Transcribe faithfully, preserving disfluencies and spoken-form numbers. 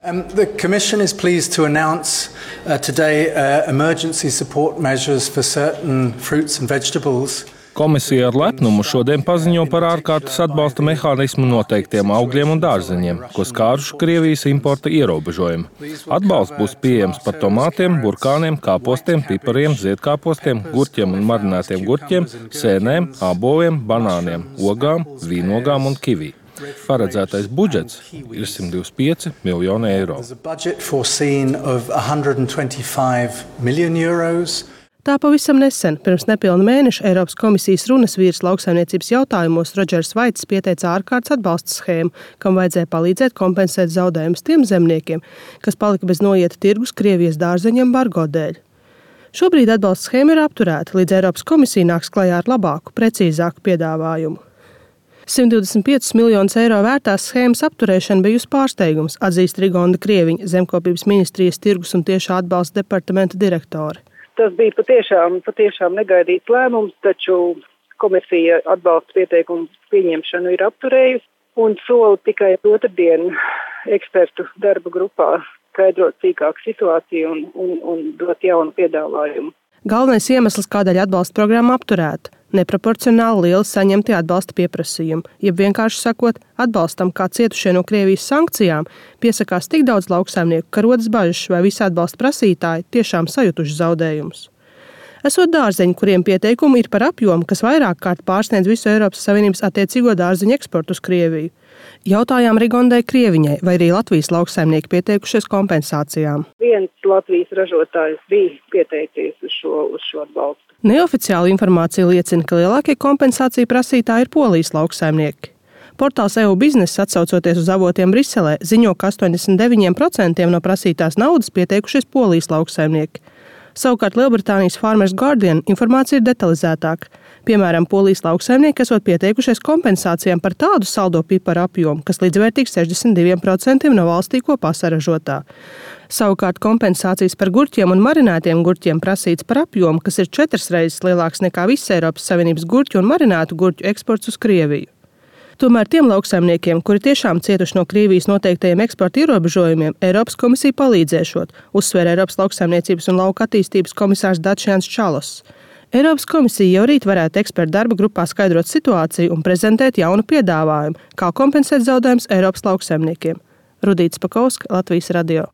Um, the Commission is pleased to announce uh, today uh, emergency support measures for certain fruits and vegetables. Komisija ar lepnumu šodien paziņo par ārkārtas atbalsta mehānismu noteiktiem augļiem un dārzeņiem, ko skāruši Krievijas importa ierobežojumi. Atbalsts būs pieejams par tomātiem, burkāniem, kāpostiem, pipariem, ziedkāpostiem, gurķiem un marinētiem gurķiem, sēnēm, āboliem, banāniem, ogām, vīnogām un kivī. Paredzētais budžets ir simt divdesmit pieci miljoni eiro. Tā pavisam nesen, pirms nepilna mēneša, Eiropas komisijas runas vīrs lauksaimniecības jautājumos Rodžers Vaits pieteica ārkārtas atbalsta schēmu, kam vajadzēja palīdzēt kompensēt zaudējumus tiem zemniekiem, kas palika bez noieta tirgus Krievijas dārzeņu embargo dēļ. Šobrīd atbalsta schēma ir apturēta, līdz Eiropas komisija nāks klajā ar labāku, precīzāku piedāvājumu. simt divdesmit piecus miljonus eiro vērtās schēmas apturēšana bijusi pārsteigums, atzīst Rigonda Krieviņa, Zemkopības ministrijas tirgus un tiešā atbalsta departamenta direktore. Tas bija patiešām, patiešām negaidīts lēmums, taču komisija atbalsta pieteikumu pieņemšanu ir apturējusi un soli tikai otrdien ekspertu darba grupā skaidrot sīkāku situāciju un, un, un dot jaunu piedāvājumu. Galvenais iemesls, kādēļ atbalsta programma apturēta – neproporcionāli lieli saņemtie atbalsta pieprasījumi, jeb vienkārši sakot, atbalstam, kā cietušie no Krievijas sankcijām, piesakās tik daudz lauksaimnieku, ka rodas bažas, vai visi atbalsta prasītāji tiešām sajutuši zaudējumus. Esot dārzeņi, kuriem pieteikumi ir par apjomu, kas vairāk kārt pārsniedz visu Eiropas Savienības attiecīgo dārzeņu eksportu uz Krieviju. Jautājām Rigondai Krieviņai, vai arī Latvijas lauksaimnieki pieteikušies kompensācijām. Viens Latvijas ražotājs bija pieteicies uz šo, uz šo atbalstu. Neoficiāla informācija liecina, ka lielākie kompensāciju prasītāji ir Polijas lauksaimnieki. Portāls E U bizness, atsaucoties uz avotiem Briselē, ziņo, ka astoņdesmit deviņi procenti no prasītās naudas pieteikušies Polijas lauksaimnieki. Savukārt Lielbritānijas Farmers Guardian informācija ir detalizētāka. Piemēram, Polijas lauksaimnieki esot pieteikušies kompensācijām par tādu saldo piparu apjomu, kas līdzvērtīgs sešdesmit diviem procentiem no valstī kopā saražotā. Savukārt kompensācijas par gurķiem un marinētiem gurķiem prasīts par apjomu, kas ir četras reizes lielāks nekā viss Eiropas Savienības gurķu un marinātu gurķu eksports uz Krieviju. Tomēr tiem lauksaimniekiem, kuri tiešām cietuši no Krievijas noteiktajiem eksporta ierobežojumiem, Eiropas komisija palīdzēšot, uzsver Eiropas lauksaimniecības un lauka attīstības komisārs Dačians Čalos. Eiropas komisija jau rīt varētu ekspertu darba grupā skaidrot situāciju un prezentēt jaunu piedāvājumu, kā kompensēt zaudējumus Eiropas lauksaimniekiem. Rudīts Pakauska, Latvijas radio.